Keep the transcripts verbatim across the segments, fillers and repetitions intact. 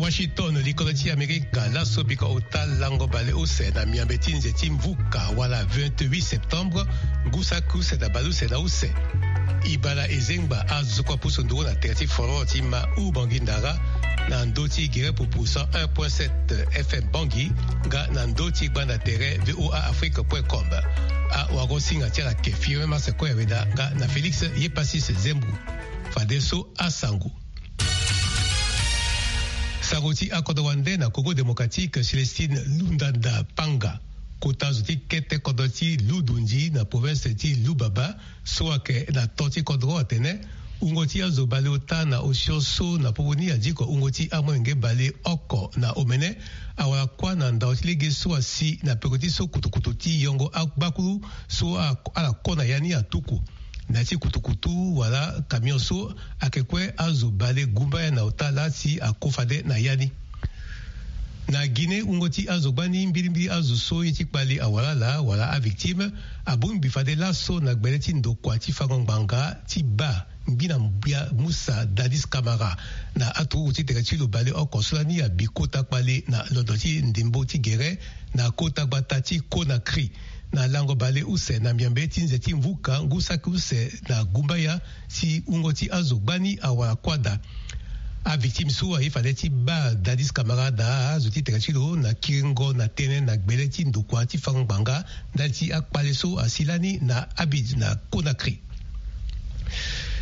Washington, likolo ti Amerika, laso biko ota lango baleuse na miambe ti nze ti mvuka wala vingt-huit septembre, ngu saki use na baleuse na use. E baa na ezengba azo so kue apusu nduru na tere ti foro ti ma u Bangui Ndara, na ndö ti gere pupu cent un point sept F M Bangui, nga na ndö ti gbanda tere V O A Afrique point com. Awagosinga ti ala ke firme Marse Koyaweda nga na Félix Yepasis Zembu. Fadeso asango. Sango ti akodro wande na Congo Démocratique, Célestine Lundanda Panga, kota zo ti kete kodro ti Ludundi na province ti Lubaba, so ayeke na to ti kodro atene wungo ti azo baleota na osio so na popo ni adiko wungo ti amolenge baleoko na omene, awara kuâ na ndao ti lege so asi na peko ti so kutukutu ti yongo agbakulu so a- ala ko na ya ni atuku. Na ya ti kutukutu wala camion so ayeke kue azo bale gumbaya na ota laa si ako fade na ya ni. Na Guinée, wungo ti azo gbani mbilimbili azo so ye ti kpali awara ala wala avictime abongbi fade laso na gbele ti ndokua ti fango ngbanga ti baa ngbina mbia Moussa Dadis Camara na aturuku ti tere ti lo baleoko so lani abi kota kpale na londo ti ndembo ti gere na kota gbata ti Conakry. Na lango baleuse na miambe ti nze ti mvuka ngu saki use na gumbaya si wungo ti azo gbani awara kuâ daa. Avictime so aye fade ti baa Dadis Camara daa azo ti tere ti lo na kiringo na tënë na gbele ti ndokua ti fango ngbanga ndali ti akpale so asi lani na Abidjan na Conakry.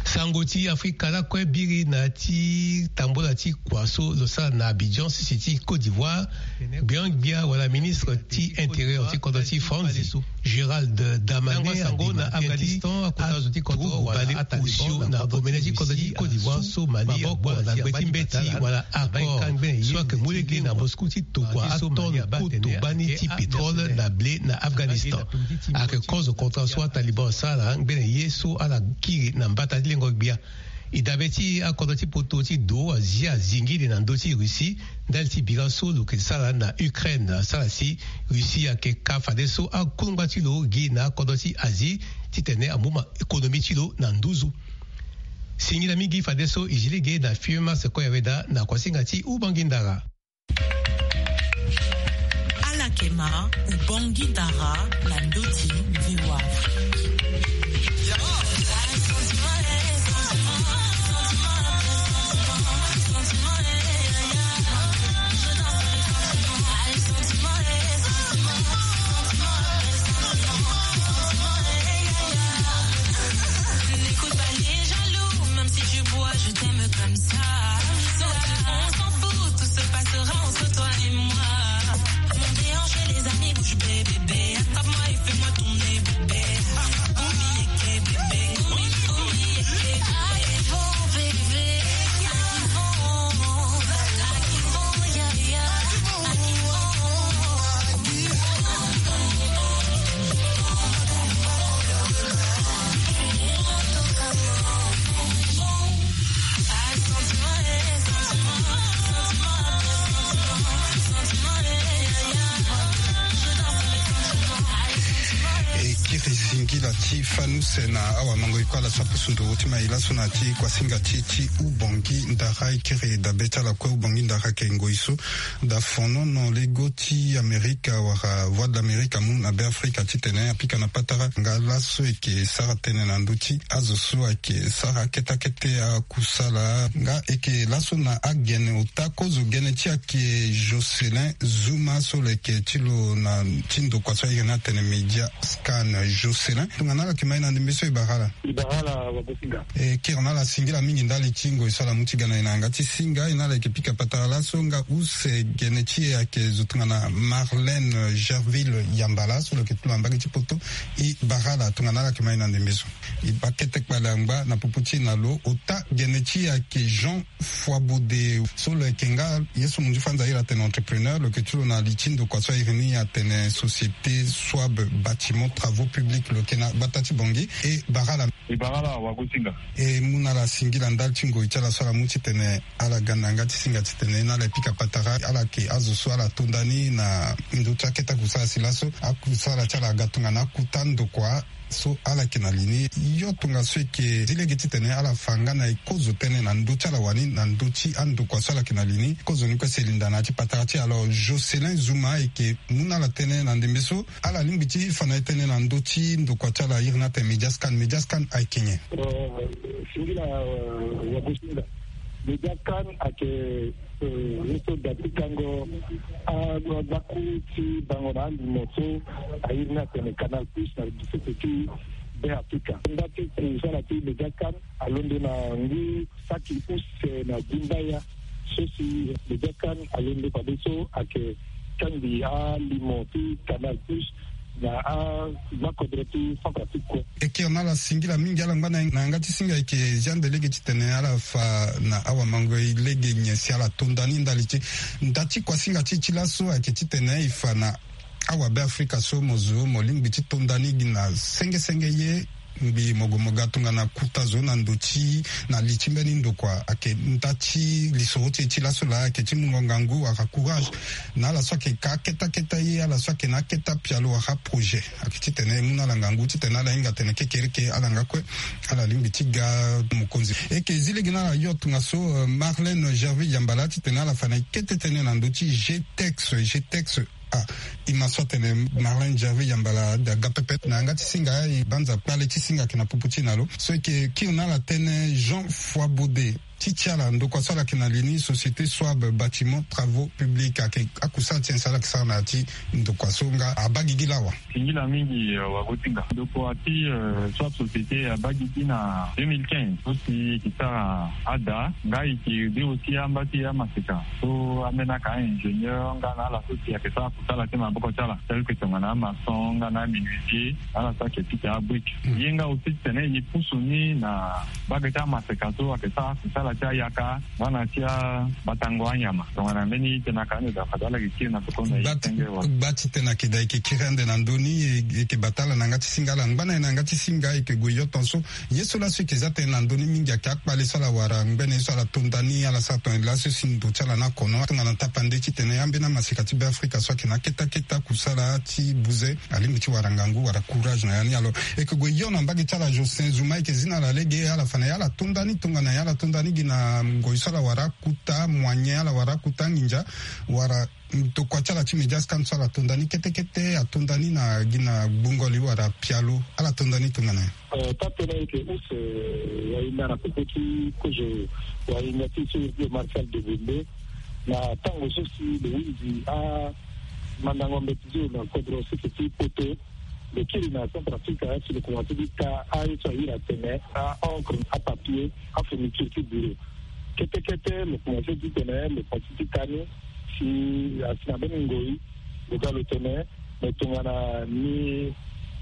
Sango ti Afrika lakue biri na ti tambola ti kua so lo sara na Abidjan, sese ti Côte d'Ivoire. Gbiangbia wala ministre ti intérieur ti kodro ti Franzi, Gérald Darmanin, sango na Afghanistan, akota zo ti kodro wala ataliban na omene ti kodro ti Côte d'Ivoire so Mali abongbi na gbe ti mbeti wala accord so ayeke mu lege na Moscou ti tokua atonne koto gbani ti pétrole na blé na Afghanistan. Ayeke kozo contrat so ataliban asara ngbene ye so ala kiri na mbata ti lengo gbia. E dabe ti akodro ti poto ti do azia zingili na ndö ti Russie ndali ti bira so lo yeke sara na Ukraine, asara si Russie ayeke ka fadeso akungba ti lo gi na akodro ti Asie titene amu ma économie ti lo na nduzu. Singila mingi fadeso e zi lege na Fiema Sequoia Veda na kuasinga ti Ubangi Ndara. Ala yeke ma Ubangi Ndara na ndö ti VOA Afrique. N'écoute pas les jaloux, même si tu bois, je t'aime comme ça. On s'en fout, tout se passera entre toi et moi. Mon déhanché, les amis, bouge, bébé, bébé. Attrape-moi et fais-moi tourner, bébé. Oubliez que, bébé, oubliez, oubliez que, bébé. Arrivons, bébé. Arrivons, arrivons, yeah, yeah. Arrivons. E kiri zingila ti fanuse na awamango e kue ala so apusu nduru ti mai laso na ya ti kuasinga ti e ti Ubangi Ndara. E kiri dabe ti ala kue. Ubangi Ndara ayeke ngoi so da fonono lego ti Amerika wala Voix de l'Amérique amu na Beafrika titene apika na patara nga laso e yeke sara tënë na ndö ti azo so ayeke sara kete akete akusala. Nga e yeke laso na agene ota kozo gene ti e ayeke Jocelyn Zuma so lo yeke ti lo na ti ndokua so airi ni atene Media Scan. Jocelyn, tongana ala yeke ma e na ndembe so e bara ala? E bara ala Wagosinga. E kiri na ala singila mingi ndali ti ngoi so ala mu ti ga na e na yanga ti singa. E na ala yeke pika patara laso nga use gene ti e ayeke zo tongana Marlène Gerville Yambala so lo yeke ti lo na mbage ti poto. E bara ala tongana ala yeke ma e na ndembe so. E baa kete kpale angba na popo ti e na lo. Ota gene ti e ayeke Jean Foibaudet so lo yeke nga ye so munzu fanza airi atene entrepreneur. Lo yeke ti lo na li ti ndokua so airi ni atene Société Swab Bâtiment Travaux Publics. Lo yeke na gbata ti Bangui. E bara ala. E bara ala Wagosinga. E mu na ala singila ndali ti ngoi ti ala so ala mu titene ala ga na yanga ti singa titene e na ala e pika patara. Ala yeke azo so ala to ndani na ndö ti akete akusala si laso akusala ti ala aga tongana akuta ndokua. So ala yeke na li ni, yo tongaso eke zi lege titene ala fa nga na e kozo tënë na ndö ti ala wani, na ndö ti andokua so ala yeke na li ni. Kozo ni kue si e linda na ya ti patara ti e. Alors Jocelyn Zuma ayeke mu na ala tënë na ndembe so ala lingbi ti fa na e tënë na ndö ti ndokua ti ala iri ni atene Mediascan. Mediascan ayeke nyen? Singila wagosinga. Mediascan ayeke, eh, ye so da ti kango agbaku ti bango na alimo so airi ni atene Canal Plus na lisese ti Be Afrika. Nda ti kusala ti Mediascan alondo na ngu saki use na gumbaya so si Mediascan alondo fadeso ayeke kangbi alimo ti Canal Plus na agbakodro ti Centrafrique kue. E kiri na ala singila mingi, ala ngba na yanga ti singa. E yeke zi ande lege titene ala fa na awamango e lege nyen si ala to nda ni ndali ti nda ti kuasinga ti e ti laso ayeke titene e fa na awabeafrika so mo zo mo lingbi ti to nda ni gi na senge senge ye. Ngbii mo gue mo ga tongana kuta zo na ndo ti na li ti mbeni ndokua ayeke nda ti lisoro ti e ti laso laa ayeke ti mungo ngangu wala courage na ala so ayeke ka akete akete ye, ala so ayeke na akete apialo wala projet. Ayeke titene e mu na ala ngangu titene ala hinga atene kekereke ala nga kue ala lingbi ti ga mokonzi. E yeke zi lege na ala yo tongaso, eh, Marlène Gervais Yambala titene ala fa na e kete tënë na ndö ti G T E X. G T E X. Ah, e ma so atene Marlène Gervais Yambala aga pepe na yanga ti singa. E banza kpale ti singa ayeke na popo ti e na lo. So e yeke kiri na ala tënë Jean Foibaudet ti ti ala ndokua so ala yeke na li ni Société Soab Bâtiment Travaux Publics ayeke akusala ti nyen si ala yeke sara na ya ti ndokua so nga abaa gigi lawa? Singila mingi, eh, wagosinga. Ndokua ti, eh, Soab Société abaa gigi na deux mille quinze so si e yeke sara ada. Nga e yeke de aussi amba ti amaseka so ambeni aka ingénieur nga na ala so si ayeke sara kusala ti maboko ti ala tel que tongana amaçon nga na amenuisier, ala so ayeke pika abrique. Ye nga aussi titene e pusu ni na mbage ti amaseka so ayeke sara kusala ti ayaka nga na ti abatango anyama. Tongana mbeni tënë aka ni daa fade ala yeke kiri na soko na e ti senge wala. Gba ti tënë ayeke daa e yeke kiri ande na ndö ni, e yeke bata ala na yanga ti singa, ala ngba na e na yanga ti singa, e yeke gue yo tongaso. Ye so laso e yeke za tënë na ndö ni mingi ayeke akpale so ala wara ngbene ye so ala to nda ni, ala sara tongana laso si ndo ti ala na kono tongana tapande titene ambeni amaseka ti Beafrika so ayeke na akete akete akusala ti buze alingbi ti wara ngangu wala courage na ya ni. Alors e yeke gue yo na mbage ti ala Jocelyn Zuma, e yeke zi na ala lege ala fa na e ala to nda ni tongana e ala to nda ni gi na ngoi so ala wara akuta moyen, ala wara akuta anginza wala ndokua ti ala ti Mediascan so ala to nda ni kete kete ato nda ni na gi na gbungo li wala pialo, ala to nda ni tongana nyen? Eh, taa-tënë ayeke use, eh, wahinda na popo ti kozo wahinda ti so iri ti lo Martial Degonde. Na tango so si lo hunzi amandango mbeti ti lo na kodro sese ti Poto, lo kiri na Centrafrique si lo komanse ti ta aye so ahiri atene a-encre, apapier, afourniture ti bureau. Kete kete lo komanse ti tene lo komanse ti ta ni si asi na mbeni ngoi lo ga lo tene, me tongana ni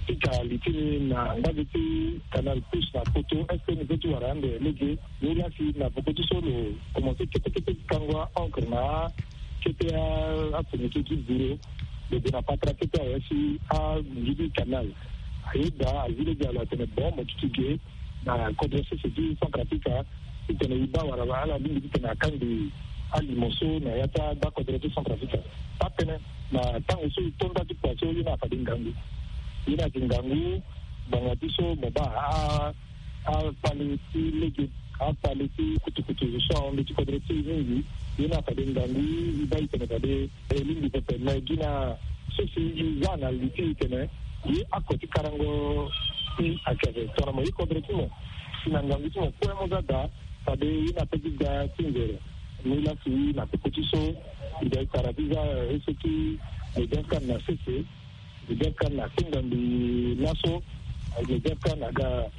pika li ti ni na mbage ti Canal Plus na Poto, est-ce que ni peut ti wara ande lege? Ni la si na poko ti so lo komanse kete kete ti kango a-encre na akete afourniture ti bureau, lo gue na patara kete awe si amungi ti canal. Ayeda azi lege ala atene bon mo duti ge na kodro sese ti Centrafrique titene e baa wala ala lingbi titene akangbi alimo so na ya ti agbakodro ti Centrafrique. Taa-tënë na tango so e to nda ti kua so ye ni afade ngangu. Ye ni ayeke ngangu ngbanga ti so mo baa a akpale ti lege, akpale ti kutukutu so ahon ndö ti kodro ti e mingi. Ye ni afade ngangu e baa e tene fade e lingbi pepe, me gi na so si e za na li ti e tene ye ako ti karango ti ayeke ape tongana mo ye kodro ti mo si na ngangu ti mo kue mo za daa fade ye ni ape ti da ti nzere. Ni la si na peko ti so e da e tara ti za ese ti Mediascan na sese. Mediascan na kenda mbi laso, Mediascan aga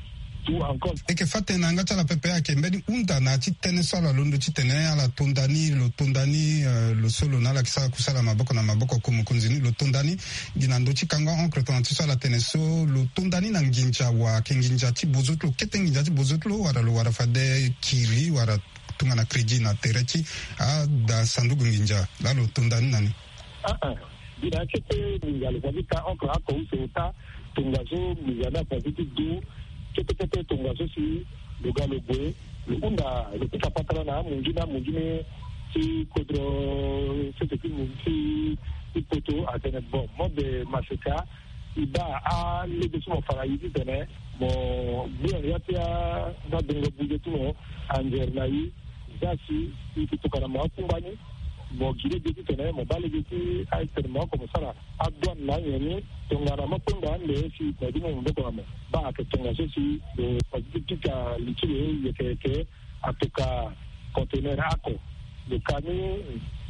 tu encore. E yeke fâ tënë na yanga ti ala pepe ayeke mbeni hunda na ya ti tënë so ala londo titene ala to nda ni, lo to nda ni, eh, lo so lo na ala yeke sara kusala maboko na maboko, ko mokonzi ni lo to nda ni gi na ndö ti kango a-encre tongana ti so ala tene so, lo to nda ni na nginza wa ayeke nginza ti bozo ti lo, kete nginza ti bozo ti lo, wala lo wara fade kiri wala tongana crédit na tere ti ada sanduku nginza laa lo to nda ni na ni. Ah, ah. Gi na akete nginza lo fa ti ka encre oko use ota, tongaso nginza ni afa ti du kete kete tongaso si lo ga lo gue lo hunda lo pika patara na amungi ni, amungi ni ti kodro sese ti mu ti ti Poto atene bon, mode maseka E baa alege so mo fa na e titene mo gbia ya ti adongo buze ti mo, anzere na e. Za si e ke tokana mo akungba ni, mo gi lege titene mo baa lege ti aye titene mo oko mo sara adouane na anyen ni. Tongana mo kpengba ande si na e ti mo maboko na mo, baa ayeke tongaso si lo pasi ti pika li ti lo yeke yeke atoka conteneur ako. Lo ka ni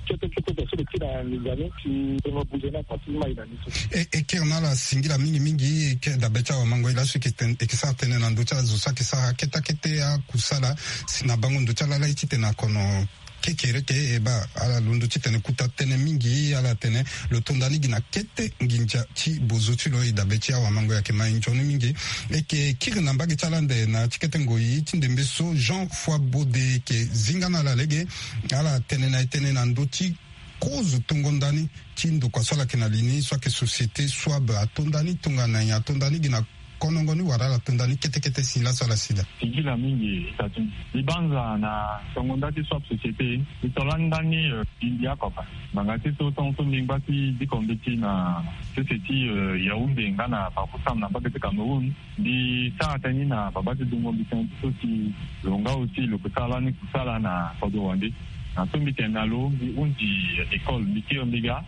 kete kete, tongaso lo ti na nginza ni si tongo buze ni ako ti mai na ni so. E, e kiri na ala singila mingi mingi, e ke dabe ti awamango ye laso e ke ten-, e ke sara tënë na ndö ti ala zo so ayeke sara kete kete akusala si na bango ndo ti ala laa e titene akono kekereke. E baa ala londo titene kuta tënë mingi, ala tene lo to nda ni gi na kete nginza ti bozo ti lo. E dabe ti awamango ye ayeke ma e nzoni mingi. E ke kiri na mbage ti ala ande na ti kete ngoi ti ndembe so, Jean Foibode e ke zinga na ala lege. Ala tene na e tënë na ndö ti kozo tongo ndani ti ndokua so ala yeke na li ni so ayeke société Swab, ato ndani tongana nyen, ato ndani gi na konongo ni wala ala to ndani kete kete si laso ala si daa. Singila mingi, e sa ti mbi banza na tongo nda ti Swab société. E to lani ndani, eh, mbi mbi akoka ngbanga ti so tongo so mbi ngba ti diko mbeti na sese ti, eh, Yaoundé nga na Bafoussam na mbage ti Cameroun. Mbi sara tënë ni na babâ ti dungo mbi tënë ti so si lo nga aussi lo ke sara lani kusala na kodro wande. Na so mbi tene na lo, mbi hunzi école, mbi kiri mbi ga,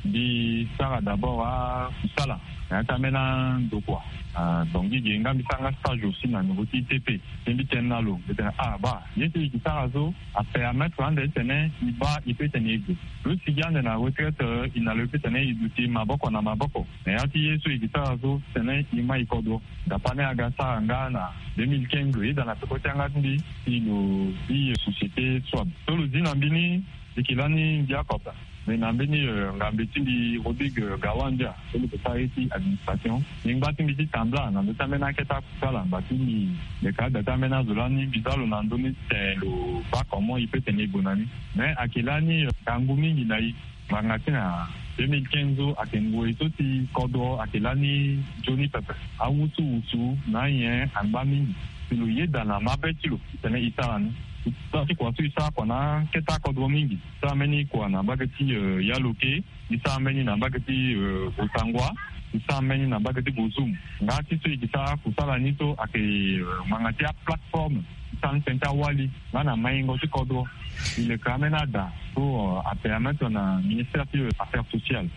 mbi sara d'abord akusala na ya ti ambeni andokua. Ah, donc gi ge nga mbi sara nga stage aussi na niveau ti I T P. Mbi tene na lo, mbi tene ah baa ye so e ke sara so apermettre ande titene e baa e peut tene e gue. Lo sigi ande na retraite, eh, e na lo e peut tene e duti maboko na maboko na ya ti ye so e ke sara so titene e ma e kodro. Dapa ni aga sara nga na deux mille quinze, lo yeda na peko ti yanga ti mbi si lo zi société Swab. So lo zi na mbi ni, e ke lani mbi akoka. Mais na mbeni, eh, ngambe ti mbi Rodrigue, eh, Gawandia, so lo ke sara ye ti administration. Mbi ngba ti mbi ti tambula na ndö ti ambeni akete akusala, ngba ti mbi leka ada ti ambeni azo lani, mbi za lo na ndö ni titene lo baa comment e peut tene e gue na ni. Mais ayeke lani, eh, ngangu mingi na e. Ngbanga ti na deux mille quinze so ayeke ngoi so si kodro ayeke lani nzoni pepe. Awusuwusu na anyen angba mingi. Si lo yeda na mabe ti lo titene e sara ni. Sara ti kua so e sara kua na akete akodro mingi. E sara mbeni kua na mbage ti, eh, Yaloke. E sara mbeni na mbage ti, eh, Bossangoa. E sara mbeni na mbage ti Bozoum. Nga ti so e ke sara kusala ni so ayeke, eh, ngbanga ti aplateforme. E sara ni tënë ti awali nga na maingo ti kodro. E leke ambeni ada so, eh, apermettre na ministère ti, eh, affaires sociales.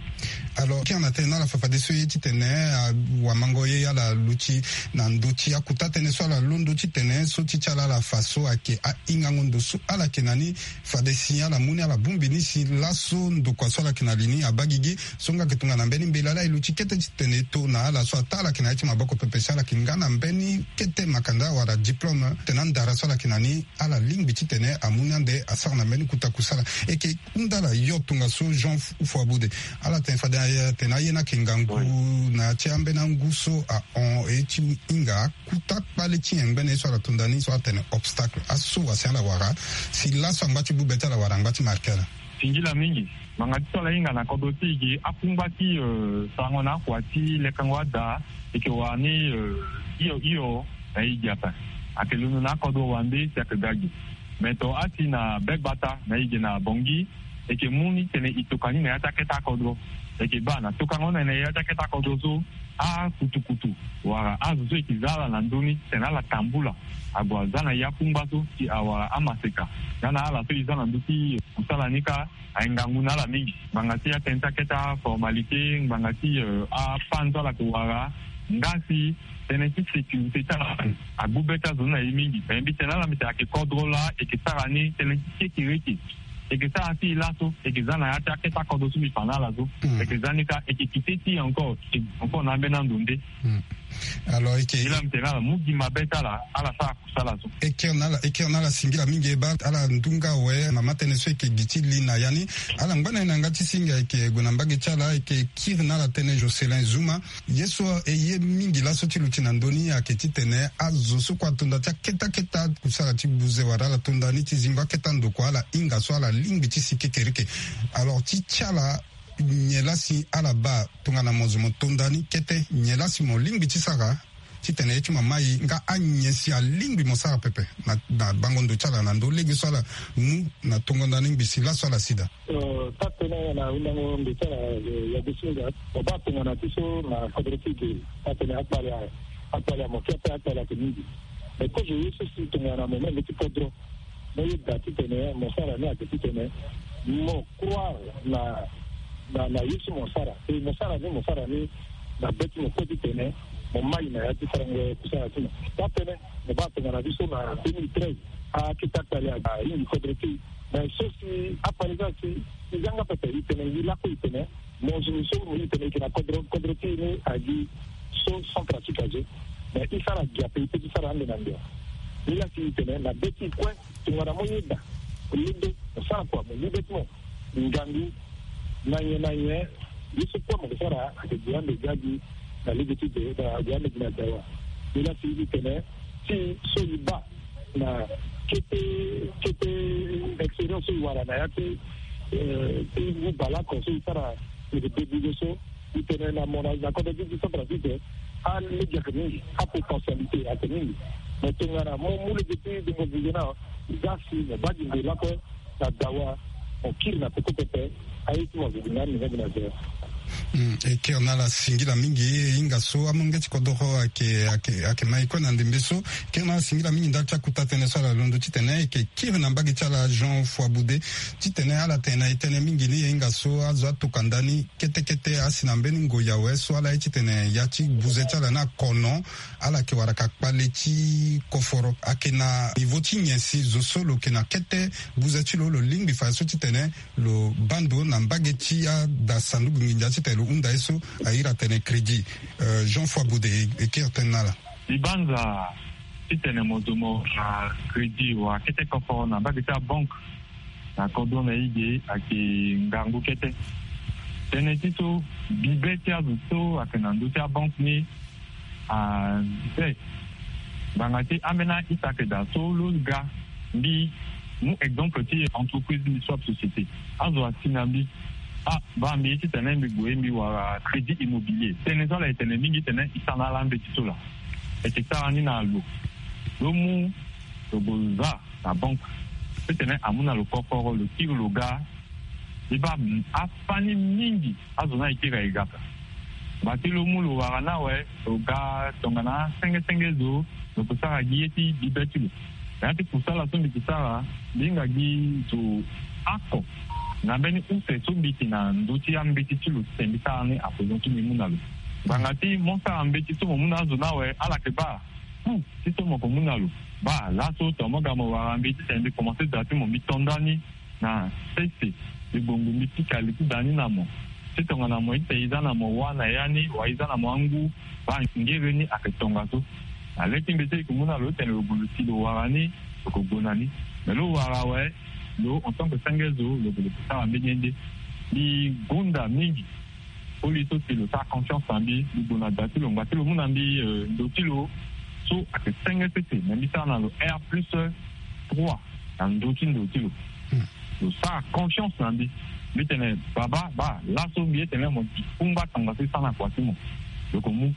Alors, kiri na tënë na ala fafadeso ye titene, ah, awamango ye ala luti na ndö ti akuta tënë so ala londo titene so ti ti ala ala fa so ayeke ahingango ndo so ala yeke na ni. Fade si ala mu ni ala bongbi ni si laso ndokua so ala yeke na li ni abaa gigi. So nga ayeke tongana mbeni mbela laa e luti kete titene e to na ala so ataa ala yeke na ya ti maboko pepe si ala yeke nga na mbeni kete makanda wala diplôme titene andara so ala yeke na ni ala lingbi titene amu ni ande asara na mbeni kota kusala. E ke hunda ala yo tongaso Jean Foibode. Ala tene fade atene aye ni ayeke ngangu na ya ti ambeni angu so ahon e ti hinga akuta kpale ti nyen ngbene ye so ala to nda ni so atene obstacle aso wa si ala wara si laso angba ti bube ti ala wala angba ti marke ala. Singila mingi. Ngbanga ti so ala hinga na kodro ti e ge akungba ti, eh, sarango na akua ti lekango ada, e ke wara ni, eh, hio hio na e ge ape. Ayeke londo na akodro wande si ayeke ga ge. Me to asi na be gbata na e ge na Bangui, e ke mu ni titene e toka ni na ya ti akete akodro. E ke baa na tokango ni na ya ti akete akodro so, akutukutu wala azo so e ke za ala na ndö ni titene ala tambula ague aza na e akungba so si awara amaseka. Nga na ala so e za na ndö ti kusala ni kâ, ayeke ngangu na ala mingi. Ngbanga ti atënë ti akete aformalité, ngbanga ti, eh, apanzo ala yeke wara, nga si tënë ti sécurité ti ala agbu be ti azo ni na e mingi. Me mbi tene na ala mbi tene ayeke kodro laa e yeke sara ni tënë ti kekereke. E yeke sara ti e laso, e yeke za na ya ti akete akodro so mbi fa na ala so. Mm. E yeke za ni kâ, e yeke kite ti e encore, e encore na ambeni ando nde. Mm. Alors, e yeke, e laa mbi tene na ala mu gi mabe ti ala, ala sara kusala so. E kiri na ala, e kiri na ala singila mingi, e baa ala ndunga awe, mama tënë so e yeke gi ti li na ya ni. Ala ngba na e na yanga ti singa, e yeke gue na mbage ti ala, e yeke kiri na ala tënë Jocelyn Zouma. Ye so e ye mingi laso ti luti na ndö ni ayeke titene azo so kue ato nda ti akete akete akusala ti buze wala ala to nda ni ti zingo akete andokua ala hinga so ala lingbi ti si kekereke. Alors ti ti ala, nyen laa si ala baa tongana mo zo mo to nda ni kete, nyen laa si mo lingbi ti sara titene ye ti mama e nga anyen si alingbi mo sara pepe na, na bango ndo ti ala na ndo lege so ala mu na tongo nda ni ngbi si laso ala si daa. Euh, taa tënë na hundango ndo ti ala, euh, ya gosinga, mo baa tongana ti so na kodro ti ge. Taa tënë akpale, akpale ya mo ke ape, akpale ayeke mingi. Mais kozo ye so si tongana mo mê mbeti kodro, mo yeda titene mo sara ni ayeke titene mo croire na, na, na ye so mo sara. E mo sara ni, mo sara ni na be ti mo kue titene mo mai na ya ti sarango kusala ti mo. Taa tënë, mo baa tongana ti so na deux mille treize, akete akpale ahingi kodro ti e. Mais so si akpale so asi, e yanga pepe, e tene, e lakue, e tene, mo zo ni so mo, e tene, e yeke na kodro, kodro ti e ni agi so sans pratique azo. Mais e sara gi ape, e peut ti sara ande na ndo. Ni la si e tene na be ti e kue, tongana mo yeda, mo londo, mo sara kua, mo mu be ti mo, ngangu, na nyen na nyen, ye so kue mo ke sara ayeke gi ande gi agi na lege ti de, na gi ande gi na dawa. Ni la si e tene, ti so e baa na kete, kete expérience so e wara na ya ti, euh, ti ngu bale oko so e sara, e yeke débrouiller so, e tene na mo na, na kodro ti ti centrafrique, alege ayeke mingi, apotentialité ayeke mingi. Mo tongana mo mu lege ti démocratisé na, za si mo baa gi ndo lakue na dawa, mo kiri na peko pepe, aye ti mo azo gi na ni nga gi na zero. Hmm, e kiri na ala singila mingi, e hinga so amolenge ti kodoro ayeke, ayeke, ayeke ma e kue na ndembe so. E kiri na ala singila mingi ndali ti akuta tënë so ala londo titene e yeke kiri na mbage ti ala Jean Foiboude, titene ala tene na e tënë mingi ni, e hinga so azo atoka ndani kete kete asi na mbeni ngoi awe so ala ye titene ya ti buze ti ala ni akono, ala yeke wara ka kpale ti koforo. Ayeke na niveau ti nyen si zo so lo yeke na kete buze ti lo, lo lingbi fadeso titene lo baa ndo na mbage ti ada sanduku nginza titene lo hunda ye so a iri atene crédit? Euh, Jean Foiboude, e, e kiri tënë na ala. Libanza titene mo zo mo, ah, crédit wala kete koforo na mbage ti abanque na kodro na e ge ayeke ngangu kete. Tënë ti so, bibe ti azo so ayeke na ndö ti abanque ni, ah, be. Ngbanga ti ambeni a-ita ayeke daa so lo ga mbi mu exemple ti entreprise, mbi so ape société. Azo asi na mbi, ah, baa mbi ye titene mbi gue mbi wara crédit immobilier. Tënë so ala e tene mingi titene e sara na ala mbeti so laa. E yeke sara ni na lo. Lo mu, lo gue za na banque titene amu na lo kokoro, lo kiri lo ga. E baa afani mingi azo ni ayeke iri aye ga ape. Ngba ti lo mu lo wara ni awe, lo ga tongana senge senge zo, lo ke sara gi ye ti bibe ti lo. Na ya ti kusala so mbi ke sara, mbi hinga gi zo oko na mbeni use so mbi yeke na ndö ti ambeti ti lo titene mbi sara ni ape, zo so mbi mu na lo. Ngbanga ti mo sara mbeti so mo mu na azo ni awe, ala yeke baa ku ti so mo ke mu na lo. Baa laso tongana mo ga mo wara mbi titene mbi komanse da ti mo, mbi to ndani na sese, mbi gbongbo mbi pika li ti da ni na mo. Ti tongana mo ita e za na mo wâ na ya ni, wala e za na mo angu, baa ngere ni ayeke tongaso. Na le ti mbeti so e yeke mu na lo titene lo gue lo si lo wara ni, lo ke gue na ni. Me lo wara awe, lo en tant que senge zo, lo gue lo ke sara mbeni ye nde. Mbi gonda mingi koli so si lo sara confiance na mbi, mbi gue na da ti lo, ngba ti lo mu na mbi, euh, ndo ti lo so ayeke senge sese, me mbi sara na lo R plus trois na ndö ti ndo ti lo. Hmm. Lo sara confiance na mbi. Mbi tene, baba, baa laso mbi ye tene mo kungba tongaso e sara na kua ti mo. Lo ke mu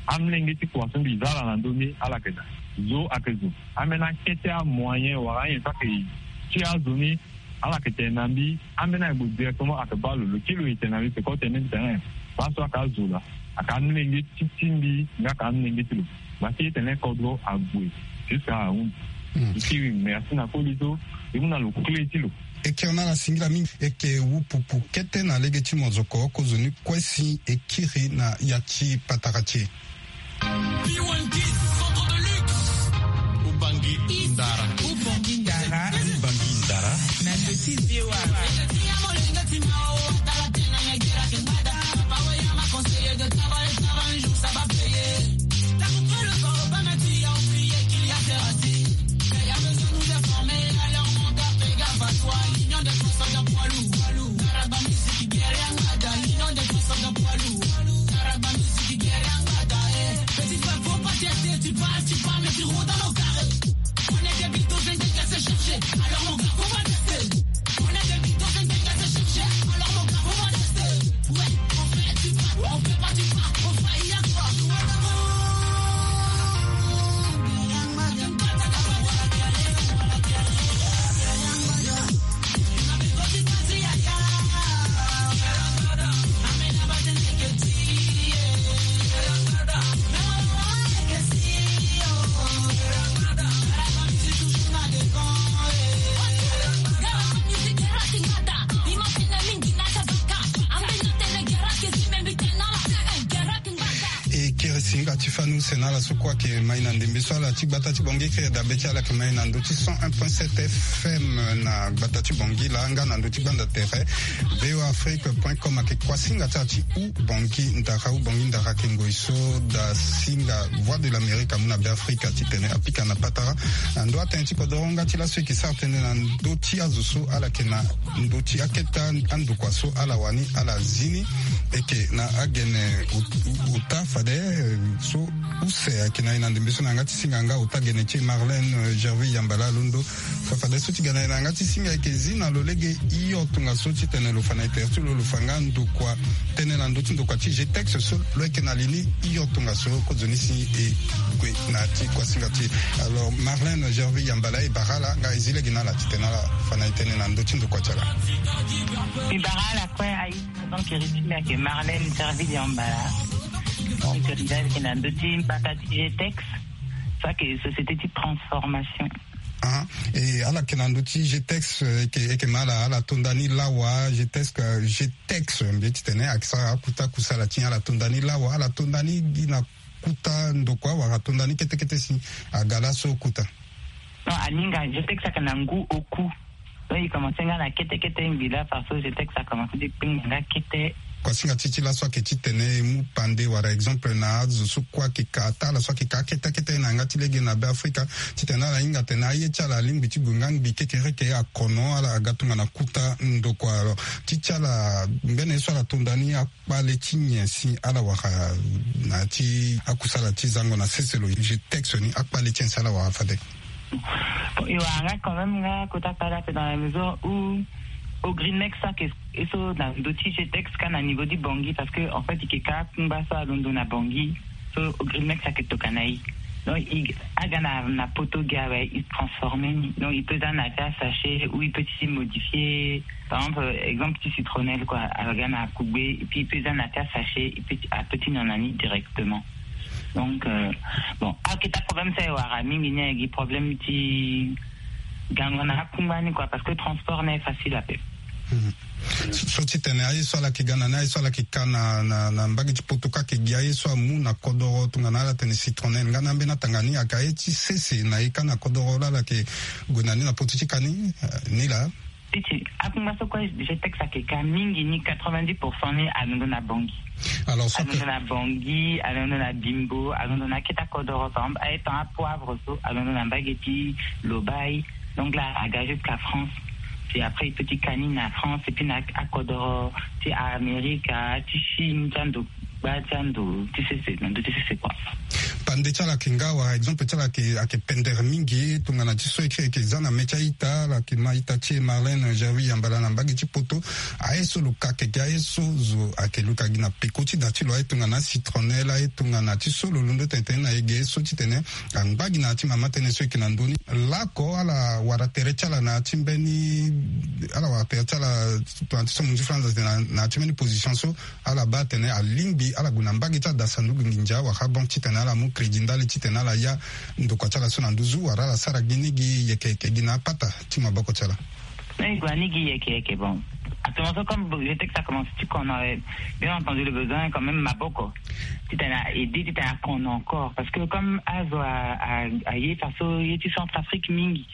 amolenge ti kua so mbi za ala na ndö ni, ala yeke daa. Zo ayeke zo. Ambeni akete amoyen wala anyen so ayeke ti azo ni, ala yeke tene na mbi, ambeni ayeke gue directement ayeke baa lo, lo kiri lo, e tene na mbi, peko tene mbi tene, baa so ayeke azo laa, ayeke amolenge ti ti mbi nga ayeke amolenge ti lo. Ngba ti e tene kodro ague jusqu'à ahunzi. Hmm. E kiri merci na koli so e mu na lo clé ti lo. E kiri na ala singila mingi. E yeke wupupu kete na lege ti monzoko, kozoni kue si e kiri na ya ti patara ti e. Ubangi ndara. Ubangi ndara. Ubangi ndara. Na ndö ti V O A. Ti fani use na ala so kue ayeke mai na ndembe so ala ti gbata ti Bangui, kiri dabe ti ala ayeke mai na ndö ti cent un point sept F M na gbata ti Bangui laa, nga na ndö ti gbanda tere V O A Afrique point com. Ayeke kuasinga ti ala ti u Bangui ndara, u Bangui ndara ayeke ngoi so da singa Voix de l'Amérique amu na Beafrika titene apika na patara na ndö atënë ti kodoro. Nga ti laso e yeke sara tënë na ndö ti azo so ala yeke na ndö ti akete andokua so ala wani ala zi ni. E yeke na agene ot-, ota fade, eh, so use ayeke na e na ndembe so na yanga ti singa nga ota gene ti e Marlène, eh, Gerville Yambala alondo. Fa fade so ti ga na e na yanga ti singa ayeke zi na lo lege hio tongaso titene lo fa na e tere ti lo, lo fa nga ndokua tënë na ndö ti ndokua ti G T E X so lo yeke na li ni hio tongaso. Kozoni si e gue na ya ti kuasinga ti e. Alors, Marlène Gerville Yambala, e bara ala nga e zi lege na ala titene ala fa na e tënë na ndö ti ndokua ti ala. E bara ala kue. Ayi, donc, e ri ti mbi ayeke Marlène Gerville Yambala. E ri ti mbi ayeke na ndö ti mbata ti G T E X, so ayeke société ti transformation. Ah, e ala yeke na ndö ti G T E X, eh, e yeke, e yeke ma ala, ala to nda ni lawa, G T E X, eh, G T E X, mbi ye titene ayeke sara akuta kusala ti ala to nda ni lawa, ala to nda ni gi na kuta ndokua wala to nda ni kete kete si aga laso kuta? Non, aninga, G T E X ayeke na ngu oku. Donc, e commencé nga na kete kete ngbi laa, parce que G T E X a commencé ti kpengba nga kete. Kuasinga ti e ti laso ayeke titene e mu pande wala exemple na azo so kue ayeke ka, ata ala so ayeke ka kete kete na yanga ti lege na Beafrika, titene ala hinga atene aye ti ala alingbi ti gue nga ngbi kekereke, akono ala aga tongana kuta ndokua. Alors, ti ti ala, mbeni ye so ala to nda ni, akpale ti nyen si ala wara na ya ti akusala ti zango na sese lo, G T E X ni, akpale ti nyen si ala wara fade? Bon, e wara nga quand même nga kota kpale ape, dans la mesure où Ogrimex so ayeke e so na ndö ti G T E X ka na niveau ti Bangui, parce que en fait e yeke ka akungba so alondo na Bangui. So Ogrimex ayeke tokana e. Donc e aga na, na poto gi awe, e transformer ni. Donc e peut za na ya ti asachet ou e peut ti modifier. Par exemple, exemple ti citronnelle quoi, aga na kugbe, et puis e peut za na ya ti asachet, e peut ti, a peut ti nyon na ni directement. Donc, euh, bon, aketa problème so e wara mingi ni, ayeke gi problème ti gango na akungba ni quoi, parce que transport ni aye facile ape. Mhm. So, so titene aye so ala yeke ga na ni, aye so ala yeke ka na, na, na mbage ti poto ka, ayeke gi aye so amu na kodoro tongana ala tene citronnelle nga na ambeni atanga ni, ayeke aye ti sese na e ka na kodoro laa ala yeke gue na ni na poto ti ka ni, eh, ni laa. Ti ti akungba so kue G T E X ayeke ka mingi ni, quatre-vingt-dix pour cent ni alondo na Bangui. Alors, so alondo na Bangui, alondo na Bimbo, alondo na akete akodoro, par exemple aye tongana apoivre so alondo na mbage ti Lobaye. Donc là aga jusqu'à France. Puis après e peut ti ka ni na France, et puis na akodoro ti Amerika, ti Chine, ti ando gba ti ando ti sese, na ndö ti sese quoi. Pande ti ala ayeke nga wala exemple ti ala ayeke, ayeke pendere mingi tongana ti so e kiri, e yeke za na mê ti a-ita, ala yeke ma ita ti e Marlène Gerville Yambala na mbage ti poto. Aye so lo ka, ayeke gi aye so zo ayeke luka gi na peko ti da ti lo, aye tongana citronnelle, aye tongana ti so lo londo tene tene na e ge so titene angba gi na ya ti mama tënë so e yeke na ndö ni. Laoko ala wara tere ti ala na ya ti mbeni, ala wara tere ti ala tongana ti so mo nzi flanza tene na, na ya ti mbeni position so ala baa atene alingbi ala gue na mbage ti adasa ndugu nginza wala banque titene ala mu crédit ndali titene ala ya ndokua ti ala so na nduzu wala ala sara gi ni gi yeke yeke gi na apata ti maboko ti ala. Non, e gue na ni gi yeke yeke. Bon, actuellement so comme G T E X a commencé ti kono, euh, bien entendu le besoin quand même maboko titene a aider, titene akono encore, parce que comme azo a, a, aye faso ye ti Centrafrique mingi.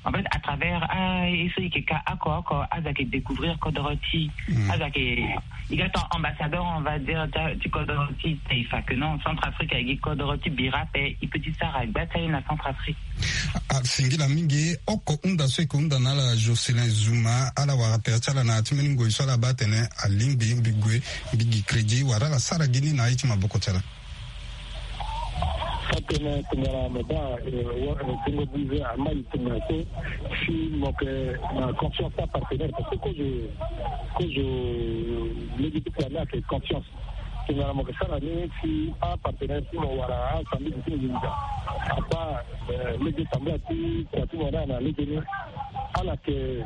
En fait, à travers, ah, e so e yeke ka oko oko, azo ayeke découvrir kodoro ti e. Mm. Azo ayeke, e ga ton ambassadeur, on va dire, ti, ti kodoro ti e, taifa que non, Centrafrique ayeke gi kodoro ti bira ape, e peut ti sara gba ti aye na Centrafrique. Ah, singila mingi. Oko hunda so e yeke hunda na ala Jocelyn Zouma, ala wara tere ti ala na ya ti mbeni ngoi so ala baa atene alingbi mbi gue, mbi gi crédit wala ala sara gi ni na aye ti maboko ti ala. Atene tongana mo baa, eh, wa-, eh, tongo bize amai tongana so, si mo yeke na confiance ti apartenaire, parce que kozo, kozo lege ti kua ni ayeke confiance. Tongana mo yeke sara ni si apartenaire ti mo wala asambisi ti mo nginza abaa, eh, lege tambula ti kua ti mo ni na lege ni, ala yeke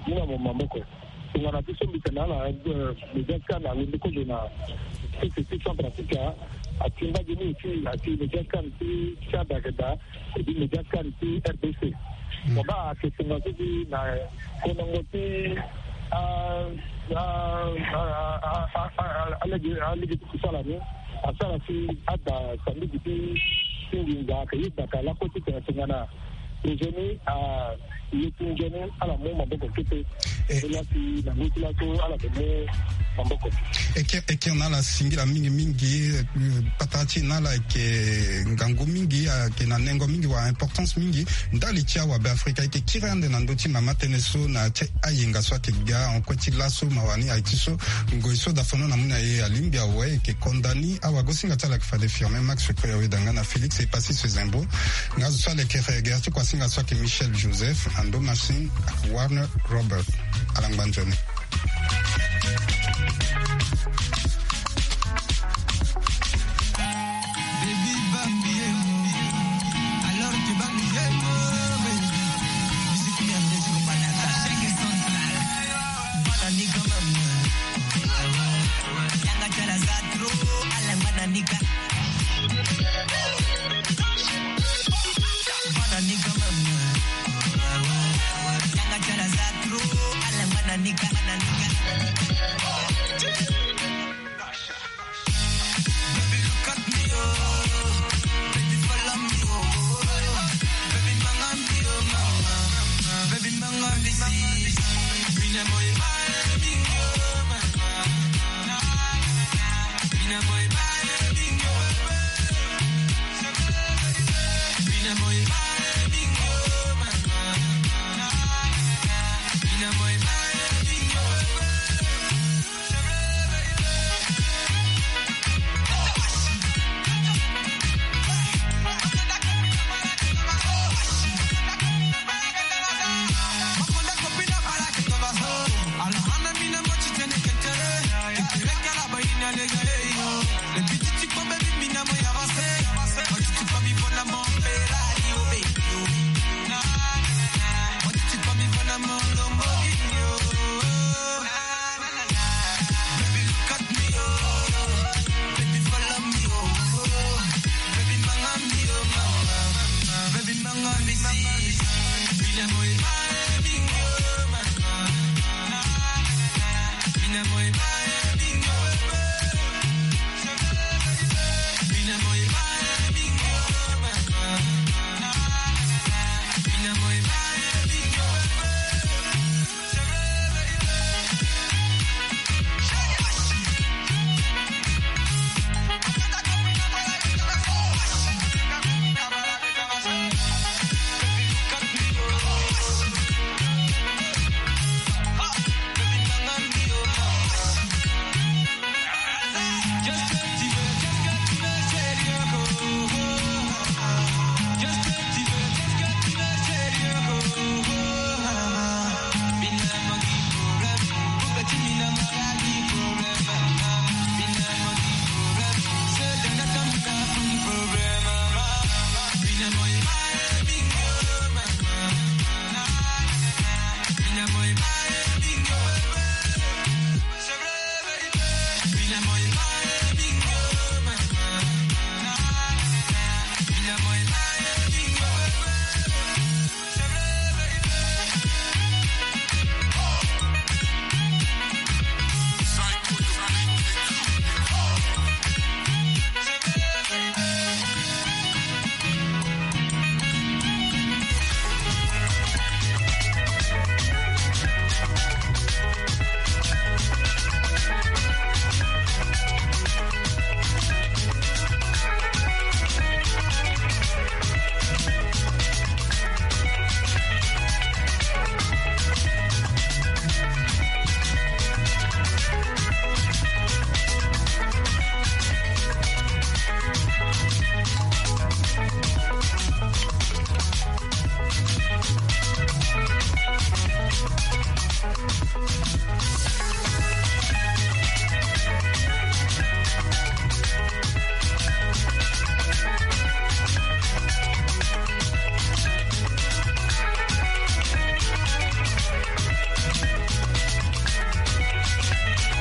mu na mo maboko. Tongana ti so mbi tene na ala, eh, média scan alondo kozo na sese ti Centrafrique, atingba gi ni aussi, ati média scan ti Tchad ayeke daa, et puis média scan ti R D C. Mm. Mo baa ayeke tongaso ti na konongo ti, ah, ah, Alege alege ti kusala ni asara si ada sambidi ti ti nginza ayeke yebaka lakue ti tene tongana projet ni a ye ti nzoni ala mu maboko kete. E laa si na ngu ti laso ala yeke mu maboko. Eke eke na ala singila mingi mingi. Patara ti e na ala yeke ngangu mingi ayeke na nengo mingi wala importance mingi. Ndali ti awabe afrika ayeke kiri ande na ndö ti mama tënë so na ti ayenga so ayeke ga en kue ti laso mawa ni aye ti so. Ngoi so dafono na mu na e alingbi awe e yeke konda ni awagosinga ti ala ayeke fade firme max kue awe danga na félix e pasi so e zembo. Nga zo so alekere gere ti kuasinga so ayeke michel joseph ando machine ayeke warner robert. Ala ngba nzoni.